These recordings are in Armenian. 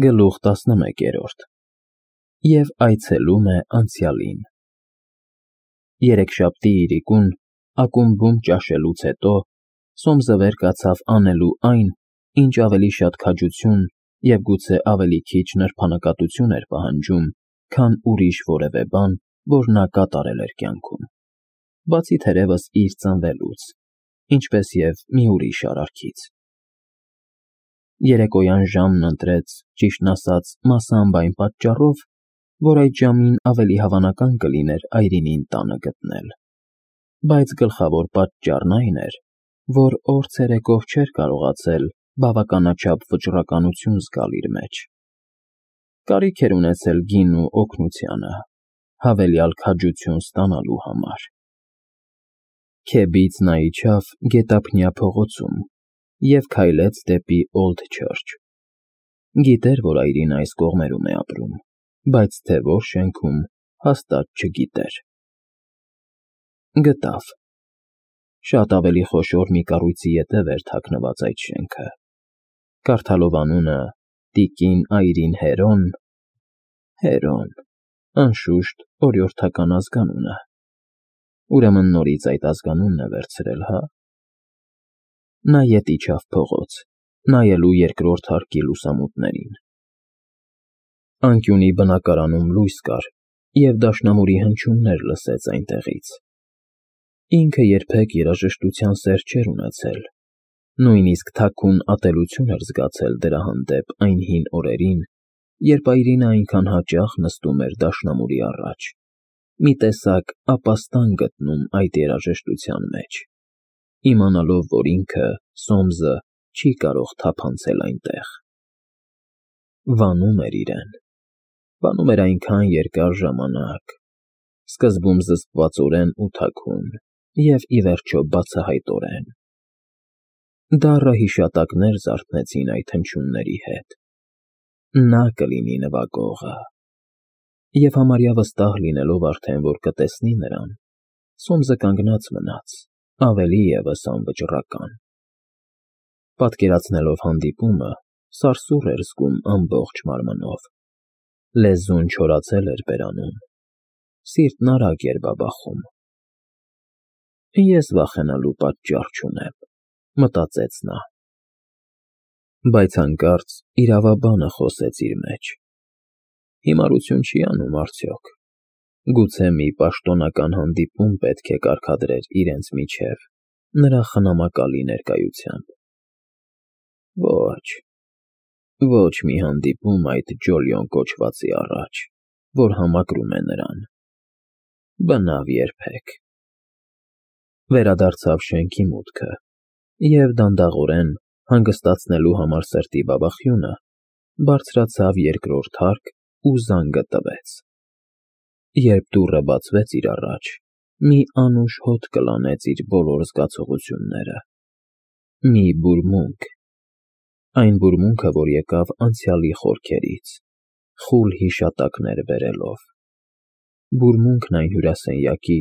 Գլուխ 11 և այցելում է անցյալին։ Երեքշաբթի իրիկուն, ակումբում ճաշելուց հետո, Սոմսը վեր կացավ անելու այն, ինչ ավելի շատ քաջություն և գուցե ավելի քիչ նրբանկատություն էր պահանջում, քան ուրիշ որևէ բան, որ նա կատարել էր կյանքում, բացի թերևս իր ծնվելուց, ինչպես և մի ուրիշ արարքից։ Երեկոյան ժամն ընտրեց, ճիշտն ասած, մասամբ այն պատճառով, որ այդ ժամին ավելի հավանական կլիներ այրինին տանը գտնել, բայց գլխավոր պատճառն այն էր, որ օր ցերեկով չէր կարողացել բավականաչափ վճռականություն զգալ իր մեջ։ Կարիք էր ունեցել գինու օգնությանը, հավելյալ քաջություն ստանալու համար։ Քեբից նա իջավ Գետափնյա փողոցում և քայլեց դեպի Օլդ Չըրչ։ Գիտեր, որ այրին այս կողմերում է ապրում, բայց թե որ շենքում, հաստատ չգիտեր։ Գտավ։ Շատ ավելի խոշոր մի կառույցի ետև էր թաքնված այդ շենքը։ Կարդալով անունը տիկին Այրին Հերոն, անշուշտ, օրիորդական ազգանուն է։ Ուրեմն նորից այդ ազգանունն է վերցրել, հա՞։ Նա ետ իջավ փողոց, նայելու երկրորդ հարկի լուսամուտներին։ Անկյունի բնակարանում լույս կար, և դաշնամուրի հնչյուններ լսեց այնտեղից։ Ինքը երբեք երաժշտության սեր չէր ունեցել, նույնիսկ թաքուն ատելություն էր զգացել դրա հանդեպ այն հին օրերին, երբ Այրինը այնքան հաճախ նստում էր դաշնամուրի առաջ, մի տեսակ ապաստան գտնում այդ երաժշտության մեջ, իմանալով, որ ինքը, Սոմսը, չի կարող թափանցել այնտեղ։ Վանում էր իրեն, վանում էր այնքան երկար ժամանակ, սկզբում զսպվածորեն ու թաքուն և, ի վերջո, բացահայտորեն։ Դառը հիշատակներ զարթնեցին այդ հնչյունների հետ։ Նա կլինի նվագողը։ Եվ համարյա վստահ լինելով արդեն, որ կտեսնի նրան, Սոմսը կանգնած մնաց, ավելի ևս անվճռական։ Պատկերացնելով հանդիպումը, սարսուռ էր զգում ամբողջ մարմնով։ Լեզուն չորացել էր բերանում, սիրտն արագ էր բաբախում։ Ես վախենալու պատճառ չունեմ, մտածեց նա։ Բայց հանկարծ իրավաբանը խոսեց իր մեջ. Հիմարություն չի անում արդյոք։ Գուցե մի պաշտոնական հանդիպում պետք է կարգադրեր իրենց միջև, նրա խնամակալի ներկայությամբ։ Ոչ մի հանդիպում այդ Ջոլիոն կոչվածի առաջ, որ համակրում է նրան։ Բնավ երբեք։ Վերադարձավ շենքի մուտքը և դանդաղորեն, հանգստացնելու համար սրտի բաբախյունը, բարձրացավ երկրորդ հարկ ու զանգը տվեց։ Երբ դուռը բացվեց իր առաջ, մի անուշ հոտ կլանեց իր բոլոր զգացողությունները։ Մի բուրմունք։ Այն բուրմունքը, որ եկավ անցյալի խորքերից, խուլ հիշատակներ բերելով։ Բուրմունքն այն հյուրասենյակի,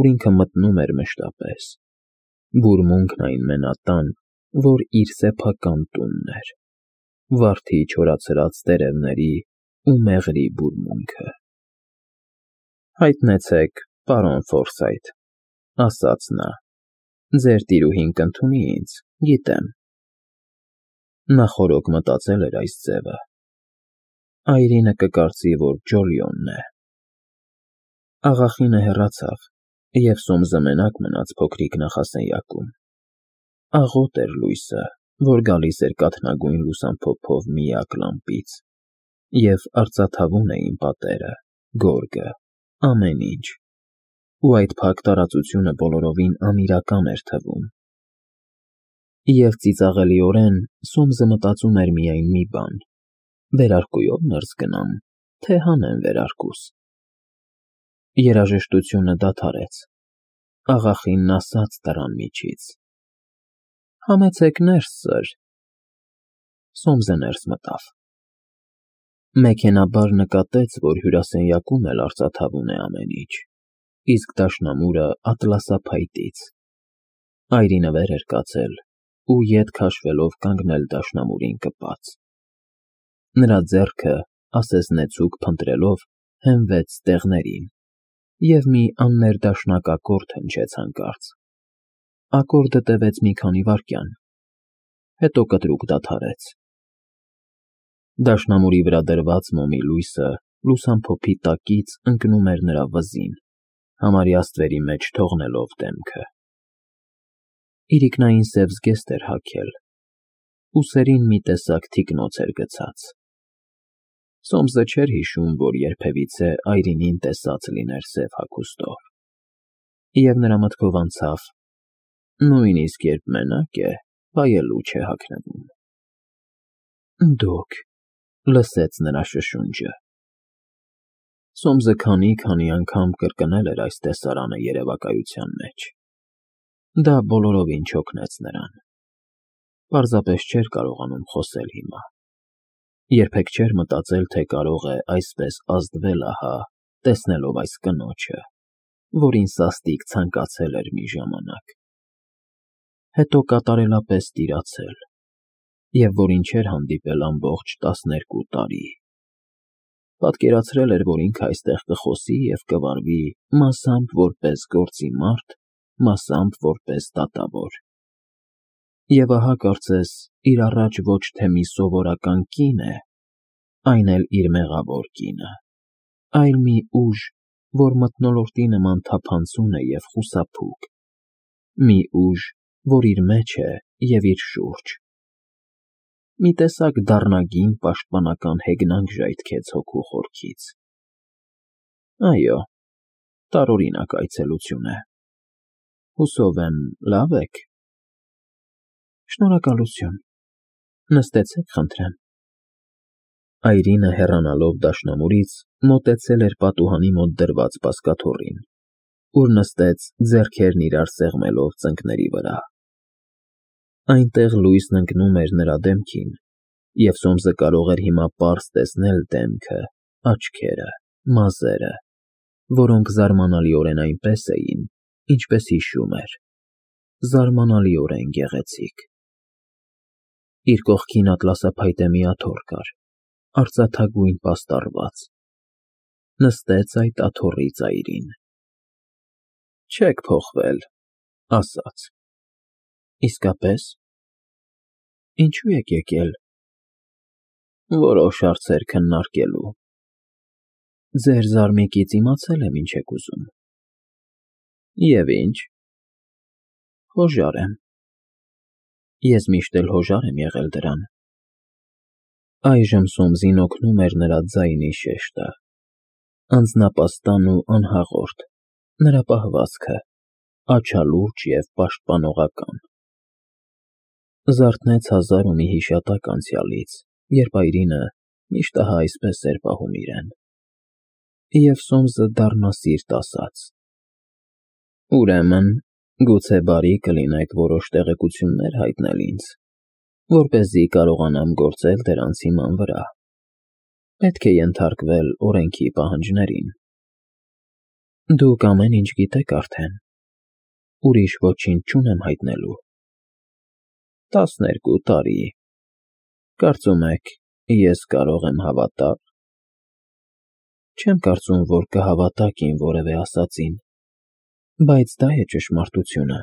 ուր ինքը մտնում էր մշտապես։ Բուրմունքն այն մենատան, որ իր սեփական տունն էր։ Վարդի չորացրած տերևների ու մեղրի բուրմունքը։ Հայտնեցեք, պարոն Ֆորսայթ, ասաց նա, ձեր տիրուհին կընդունի ինձ, գիտեմ։ Նա խորոք մտածել էր այս ձևը։ Այրինը կկարծի, որ Ջոլիոնն է։ Աղախինը հեռացավ, և Սոմսը մենակ մնաց փոքրիկ նախասենյակում։ Աղոտ էր լույսը, որ գալիս էր կաթնագույն լուսամփոփով միակ լամպից, և արծաթավուն էին պատերը, գորգը, ամեն ինչ, ու այդ փակ տարածությունը բոլորովին անիրական էր թվում։ Եվ ծիծաղելիորեն Սոմսը մտածում էր միայն մի բան. վերարկուով ներս գնամ, թե հանեմ վերարկուս։ Երաժշտությունը դադարեց։ Աղախինն ասաց դռան միջից. Համեցեք ներս, սըր։ Սոմսը ներս մտավ։ Մեքենաբար նկատեց, որ հյուրասենյակում էլ արծաթավուն է ամեն ինչ, իսկ դաշնամուրը ատլասափայտից։ Այրինը վեր էր կացել ու ետ քաշվելով կանգնել դաշնամուրին կպած։ Նրա ձեռքը, ասես նեցուկ փնտրելով, հենվեց ստեղներին, և մի աններդաշնակ ակորդ հնչեց հանկարծ։ Ակորդը տևեց մի քանի վայրկյան, հետո կտրուկ դադարեց։ Դաշնամուրի վրա դրված մոմի լույսը լուսամփոփի տակից ընկնում էր նրա վզին, համարյա ստվերի մեջ թողնելով դեմքը։ Իրիկնային սև զգեստ էր հագել, ուսերին մի տեսակ թիկնոց էր գցած։ Սոմսը չէր հիշում, որ երբևիցե այրինին տեսած լիներ սև հագուստով, և նրա մտքով անցավ. նույնիսկ երբ մենակ է, վայելուչ է հագնվում։ Դուք, լսեց նրա շշունջը։ Սոմսը քանի անգամ կրկնել էր այս տեսարանը երևակայության մեջ։ Դա բոլորովին չօգնեց նրան։ Պարզապես չէր կարողանում խոսել հիմա։ Երբեք չէր մտածել, թե կարող է այսպես ազդվել ահա, տեսնելով այս կնոջը, որին սաստիկ ցանկացել էր մի ժամանակ, հետո կատարելապես տիրացել, և որին չէր հանդիպել ամբողջ 12 տարի։ Պատկերացրել էր, որ ինքը այստեղ կխոսի և կվարվի մասամբ որպես գործի մարդ, մասամբ որպես դատավոր։ Եվ ահա կարծես իր առաջ ոչ թե մի սովորական կին է, այն էլ իր մեղավոր կինը, այլ մի ուժ, որ մթնոլորտի նման թափանցում է և խուսափուկ, մի ուժ, որ իր մեջ է և իր շուրջ։ Մի տեսակ դառնագին պաշտպանական հեգնանք ժայթքեց հոգու խորքից։ Այո, տարօրինակ այցելություն է։ Հուսով եմ, լավ եք։ Շնորհակալություն, նստեցեք խնդրեմ։ Այրինը հեռանալով դաշնամուրից մոտեցել էր պատուհանի մոտ դրված բազկաթոռին, ուր նստեց ձեռքերն իրար սեղմելով ծնկների վրա։ Այնտեղ լույսն ընկնում էր նրա դեմքին, և Սոմսը կարող էր հիմա պարզ տեսնել դեմքը, աչքերը, մազերը, որոնք զարմանալիորեն այնպես էին, ինչպես հիշում էր, զարմանալիորեն գեղեցիկ։ Իր կողքին ատլասափայտե մի աթոռ կար, արծաթագույն պաստառված։ Նստեց այդ աթոռի ծայրին։ Չեք փոխվել, ասաց։ Իսկապես։ Ինչու եք եկել։ Որոշ հարցեր քննարկելու։ Ձեր զարմիկից իմացել եմ ինչ եք ուզում։ Եվ ինչ։ Հոժար եմ։ Ես միշտ էլ հոժար եմ եղել դրան։ Այժմ Սոմսին օգնում էր նրա ձայնի շեշտը, անձնապաստան ու անհաղորդ, նրա պահվածքը, աչալուրջ և պաշտպանողական։ Զարթնեց հազար ու մի հիշատակ անցյալից, երբ Այրինը միշտ ահա այսպես էր պահում իրեն։ Եվ Սոմսը դառնասիրտ ասաց. Ուրեմն, գուցե բարի կլինեք որոշ տեղեկություններ հայտնել ինձ, որպեսզի կարողանամ գործել դրանց հիման վրա։ Պետք է ենթարկվել օրենքի պահանջներին։ Դուք ամեն ինչ գիտեք արդեն։ Ուրիշ ոչինչ չունեմ հայտնելու։ 12 տարի։ Կարծում եք, ես կարող եմ հավատալ։ Չեմ կարծում, որ կհավատաք իմ որևէ ասածին, բայց դա է ճշմարտությունը։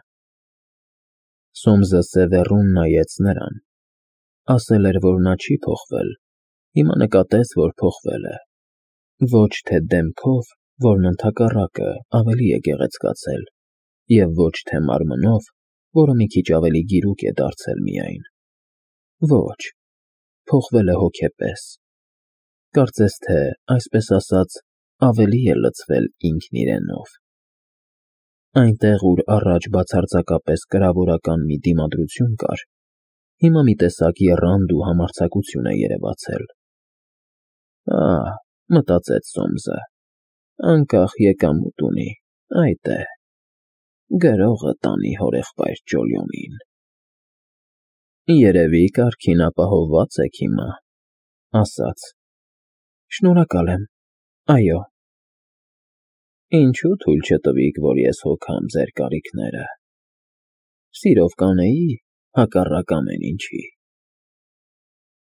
Սոմսը սևեռուն նայեց նրան, ասել էր, որ նա չի փոխվել, հիմա նկատեց, որ փոխվել է։ Ոչ թե դեմքով, որն ընդհակառակը ավելի է գեղեցկացել, և ոչ թե մարմնով, որը մի քիչ ավելի գիրուկ է դարձել միայն։ Ոչ, փոխվել է հոգեպես։ Կարծես թե, այսպես ասած, ավելի է լցվել ինքն իրենով։ Այնտեղ, ուր առաջ բացարձակապես կրավորական մի դիմադրություն կար, հիմա մի տեսակ եռանդ ու համարձակություն է երևացել։ Մտածեց Սոմսը, անկախ եկամուտ ունի, այդ է, գրողը տանի հորեղբայր Ճոլյոնին։ Երևի կարգին ապահովված եք հիմա, ասաց։ Շնորհակալ եմ, այո։ Ինչու թույլ չտվիք, որ ես հոգամ ձեր կարիքները։ Սիրով կանեի, հակառակ ամեն ինչի։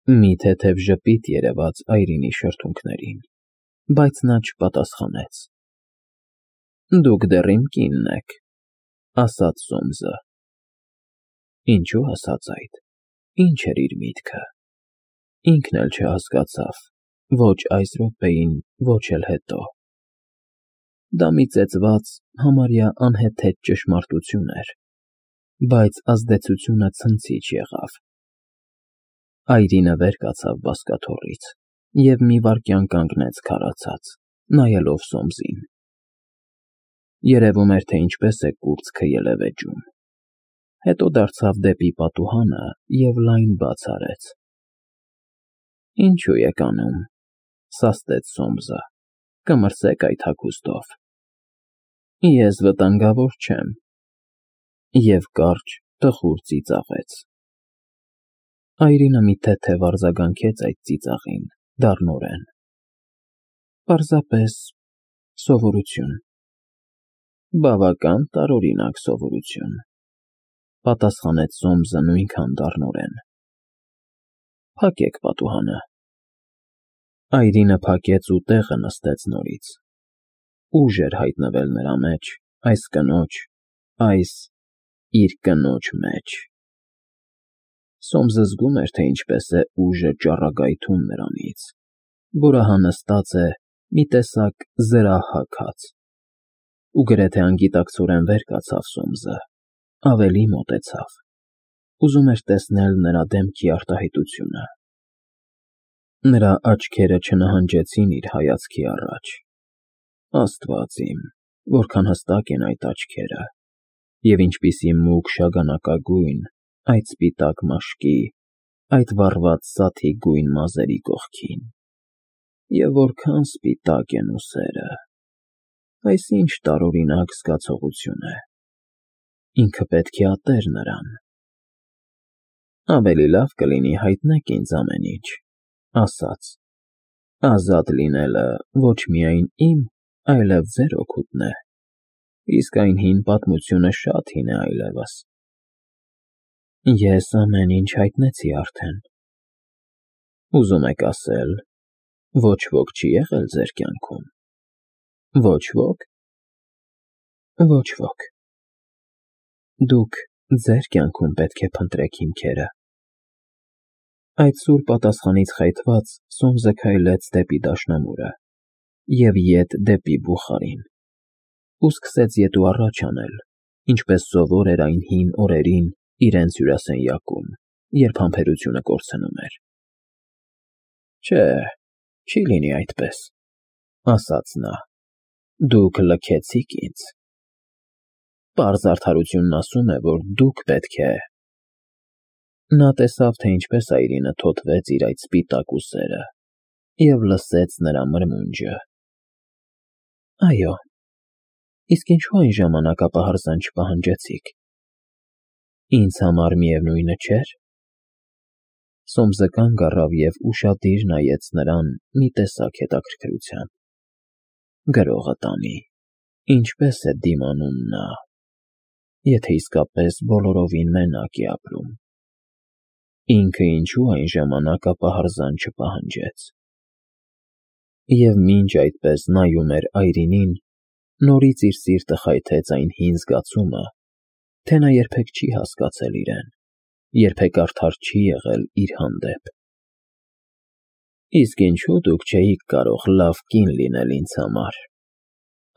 Մի թեթև ժպիտ երևաց Այրինի շրթունքներին, բայց նա չպատասխանեց։ Դուք դեռ իմ կինն եք, ասաց Սոմսը։ Ինչու ասաց այդ, ինչ էր իր միտքը։ Ինքն էլ չհասկացավ, ոչ այս րոպեին, ոչ էլ հետո։ Դա մի ծեծված, համարյա անհեթեթ ճշմարտություն էր, բայց ազդեցությունը ցնցիչ եղավ։ Այրինը վեր կացավ բազկաթոռից և մի վայրկյան կանգնեց քարացած, նայելով Սոմսին։ Երևում էր, թե ինչպես է կուրծքը ելևէջում։ Հետո դարձավ դեպի պատուհանը և լայն բաց արեց։ Ինչու եք անում, սաստեց Սոմսը, կմրսեք այդ հագուստով։ Ես վտանգավոր չեմ։ Եվ կարճ, տխուր ծիծաղեց։ Այրինը մի թեթև արձագանքեց այդ ծիծաղին, դառնորեն։ Պարզապես սովորություն։ Բավական տարօրինակ սովորություն, պատասխանեց Սոմսը նույնքան դառնորեն։ Փակեք պատուհանը։ Այրինը փակեց ու տեղը նստեց նորից։ Ուժ էր հայտնվել նրա մեջ, այս կնոջ, այս իր կնոջ մեջ։ Սոմսը զգում էր, թե ինչպես է ուժը ճառագայթում նրանից, որը հանստած է մի տեսակ զրահ հագած։ Ու գրեթե անգիտակցորեն վեր կացավ Սոմսը, ավելի մոտեցավ, ուզում էր տեսնել նրա դեմքի արտահայտությունը։ Նրա աչքերը չնահանջեցին իր հայացքի առաջ։ Աստված իմ, որքան հստակ են այդ աչքերը, և ինչպիսի մուգ շագանակագույն, այդ սպիտակ մաշկի, այդ վառված սաթի գույն մազերի կողքին, և որքան սպիտակ են ուսերը։ Այս ինչ տարօրինակ զգացողություն է։ Ինքը պետք է ատեր նրան։ Ավելի լավ կլինի հայտնեք ինձ ամեն ինչ, ասաց։ Ազատ լինելը ոչ միայն իմ, այլև ձեր օգուտն է, իսկ այն հին պատմությունը շատ հին է այլևս։ Ես ամեն ինչ հայտնեցի արդեն։ Ուզում եք ասել, ոչ ոք չի եղել ձեր կյանքում։ Ոչ ոք։ Ոչ ոք։ Դուք ձեր կյանքում պետք է փնտրեք հիմքերը։ Այդ սուր պատասխանից խայթված Սոմսը քայլեց դեպի դաշնամուրը և ետ դեպի բուխարին, ու սկսեց ետ ու առաջ անել, ինչպես սովոր էր այն հին օրերին իրենց հյուրասենյակում, երբ համբերությունը կորցնում էր։ Չէ, չի լինի այդպես, ասաց նա, դուք լքեցիք ինձ։ Պարզ արդարությունն ասում է, որ դուք պետք է… Նա տեսավ, թե ինչպես Այրինը թոթվեց իր այդ սպիտակ ուսերը և լսեց նրա մրմունջը։ Այո, իսկ ինչու այն ժամանակ ապահարզան չպահանջեցիք։ Ինձ համար միևնույնը չէր։ Սոմսը կանգ առավ և ուշադիր նայեց նրան մի տեսակ հետաքրքրությամբ։ Գրողը տանի, ինչպես է դիմանում նա, եթե իսկապես բոլորովին մենակ է ապրում։ Ինքը ինչու այն ժամանակ ապահարզան չպահանջեց։ Եվ մինչ այդպես նայում էր Այրինին, նորից իր սիրտը խայթեց այն հին զգացումը, թե նա երբեք չի հասկացել իրեն, երբեք արդար չի եղել իր հանդեպ։ Իսկ ինչու դուք չէիք կարող լավ կին լինել ինձ համար,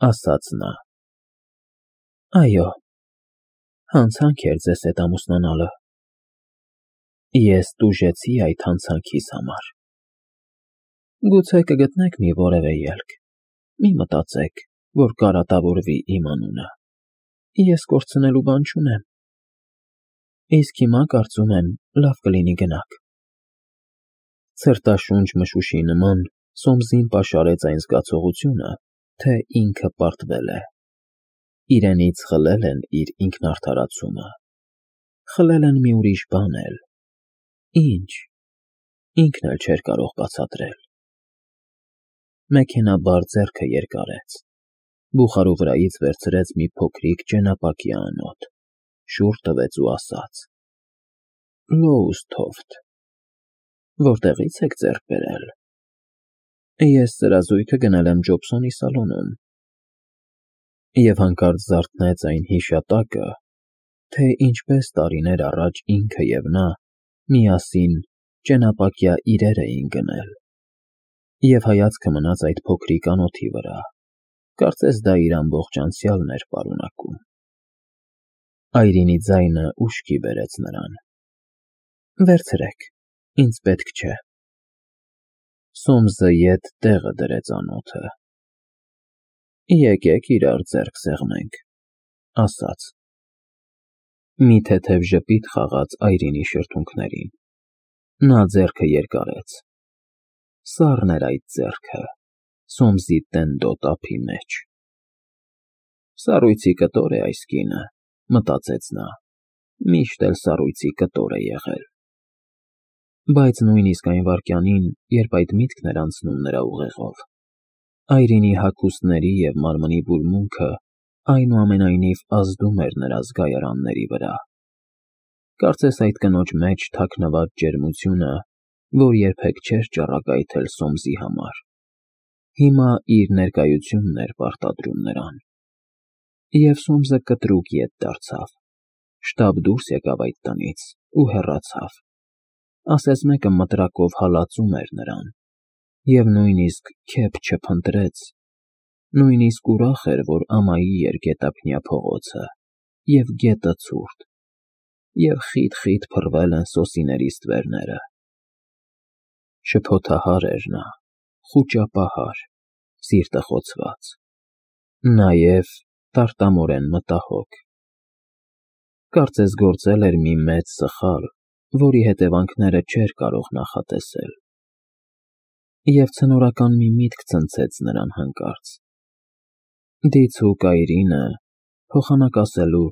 ասաց նա։ Այո, հանցանք էր ձեզ հետ ամուսնանալը։ Ես տուժեցի այդ հանցանքիս համար։ Գուցե կգտնեք մի որևէ ելք, մի մտածեք, որ կարատավորվի իմ անունը։ Ես կորցնելու բան չունեմ։ Իսկ հիմա կարծում եմ լավ կլինի գնաք։ Ցրտաշունչ մշուշի նման Սոմսին պաշարեց այն զգացողությունը, թե ինքը պարտվել է։ Իրենից խլել են իր ինքնարդարացումը։ Խլել են մի ուրիշ բան էլ։ Ինչ։ Ինքն էլ չէր կարող բացատրել։ Մեքենաբար ձեռքը երկարեց, բուխարու վրայից վերցրեց մի փոքրիկ ճենապակյա անոթ, շուռ տվեց ու ասաց. Լոուսթոֆթ։ Որտեղից եք ձեռք բերել։ Ես ծրազույգը գնել եմ Ջոբսոնի սալոնում։ Եվ հանկարծ զարթնեց այն հիշատակը, թե ինչպես տարիներ առաջ ինքը և նա միասին ճենապակյա իրեր էին գնել, և հայացքը մնաց այդ փոքրիկ անոթի վրա, կարծես դա իր ամբողջ անցյալն էր պարունակում։ Այրինի ձայնը ուշքի բերեց նրան. Վերցրեք, ինձ պետք չէ։ Սոմսը ետ տեղը դրեց անոթը։ Եկեք իրար ձեռք սեղմենք, ասաց։ Մի թեթև ժպիտ խաղաց Այրինի շրթունքներին։ Նա ձեռքը երկարեց։ Սառն էր այդ ձեռքը, Սոմսի տենդոտ ափի մեջ։ Սառույցի կտոր է այս կինը, մտածեց նա, միշտ էլ սառույցի կտոր է եղել։ Բայց նույնիսկ այն վայրկյանին, երբ այդ միտքն էր անցնում նրա ուղեղով, Այրինի հագուստների և մարմնի բուրմունքը այնուամենայնիվ ազդում էր նրա զգայարանների վրա։ Կարծես այդ կնոջ մեջ թաքնված ջերմությունը, որ երբեք չէր ճառագայթել Սոմսի համար, հիմա իր ներկայությունն էր պարտադրում նրան։ Եվ Սոմսը կտրուկ ետ դարձավ, շտապ դուրս եկավ այդ տնից ու հեռացավ։ Ասես մեկը մտրակով հալածում էր նրան, և նույնիսկ քեֆ չփնտրեց, նույնիսկ ուրախ էր, որ ամայի էր գետափնյա փողոցը, և գետը ցուրտ, և խիտ փռվել են սոսիների ստվերները։ Շփոթահար էր նա, խուճապահար, սիրտը խոցված, նաև տարտամորեն մտահոգ։ Կարծես գործել էր մի մեծ սխալ, որի հետևանքները չէր կարող նախատեսել։ Եվ ցնորական մի միտք ցնցեց նրան հանկարծ։ Դիցուք Այրինը, փոխանակ ասելու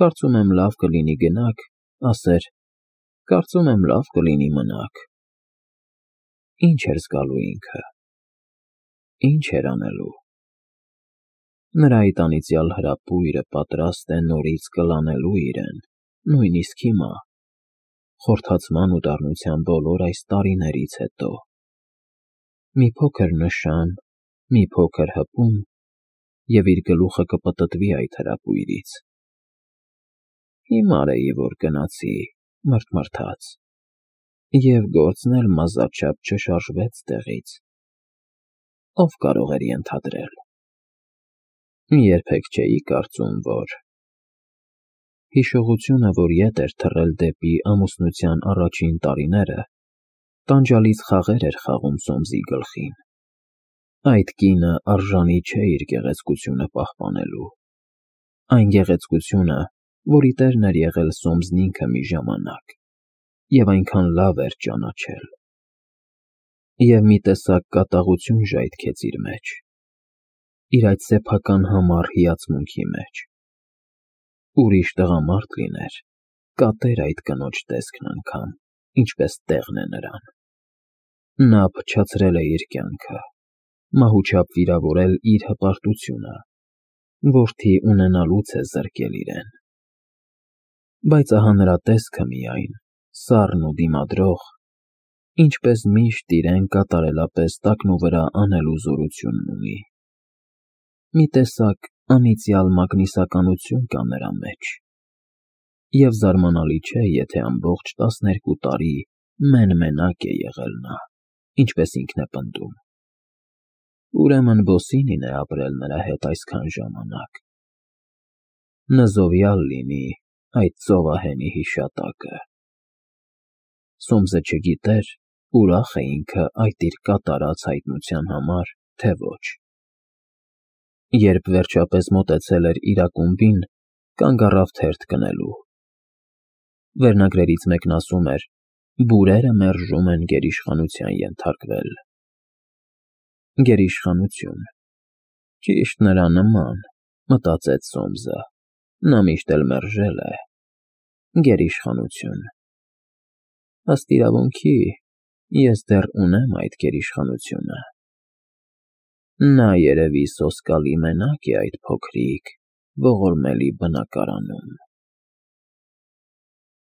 «Կարծում եմ լավ կլինի գնաք», ասեր «Կարծում եմ լավ կլինի մնաք»։ Ինչ էր զգալու ինքը։ Ինչ էր անելու։ Նրա այդ անիծյալ հրապույրը պատրաստ է նորից կլանելու իրեն, նույնիսկ հիմա, խորթացման ու դառնության բոլոր այս տարիներից հետո։ Մի փոքր նշան, մի փոքր հպում, և իր գլուխը կպտտվի այդ հրապույրից։ Հիմար էի, որ գնացի, մռթմռթաց, և գործն էլ մազաչափ չշարժվեց տեղից։ Ով կարող էր ենթադրել։ Երբեք չէի կարծում, որ… Հիշողությունը, որ ետ էր թռել դեպի ամուսնության առաջին տարիները, տանջալից խաղեր էր խաղում Սոմսի գլխին։ Այդ կինը արժանի չէ իր գեղեցկությունը պահպանելու։ Այն գեղեցկությունը, որի տերն էր եղել Սոմսն ինքը մի ժամանակ, և այնքան լավ էր ճանաչել։ Եվ մի տեսակ կատաղություն ժայթքեց իր մեջ, իր այդ սեփական համառ հիացմունքի մեջ։ Ուրիշ տղամարդ լիներ, կատեր այդ կնոջ տեսքն անգամ, ինչպես տեղն է նրան։ Նա փչացրել է իր կյանքը, մահուչապ վիրավորել իր հպարտությունը, որդի ունենալուց է զրկել իրեն։ Բայց ահա նրա տեսքը միայն, սառն ու դիմադրող, ինչպես միշտ իրեն կատարելապես տակնուվրա անելու զորությունն ունի։ Մի տեսակ անիծյալ մագնիսականություն կա նրա մեջ, և զարմանալի չէ, եթե ամբողջ 12 տարի մեն֊մենակ է եղել նա, ինչպես ինքն է պնդում։ Ուրեմն Բոսինին է ապրել նրա հետ այսքան ժամանակ։ Նզովյալ լինի այդ ծովահենի հիշատակը։ Սոմսը չգիտեր, ուրախ է ինքը այդ իր կատարած հայտնության համար, թե ոչ։ Երբ վերջապես մոտեցել էր իր ակումբին, կանգ առավ թերթ գնելու։ Վերնագրերից մեկն ասում էր. «Բուրերը մերժում են գերիշխանության ենթարկվել»։ Գերիշխանություն։ Ճիշտ նրա նման, մտածեց Սոմսը, նա միշտ էլ մերժել է։ Գերիշխանություն։ Ըստ իրավունքի, ես դեռ ունեմ այդ գերիշխանությունը։ Նա երևի սոսկալի մենակ է այդ փոքրիկ, ողորմելի բնակարանում։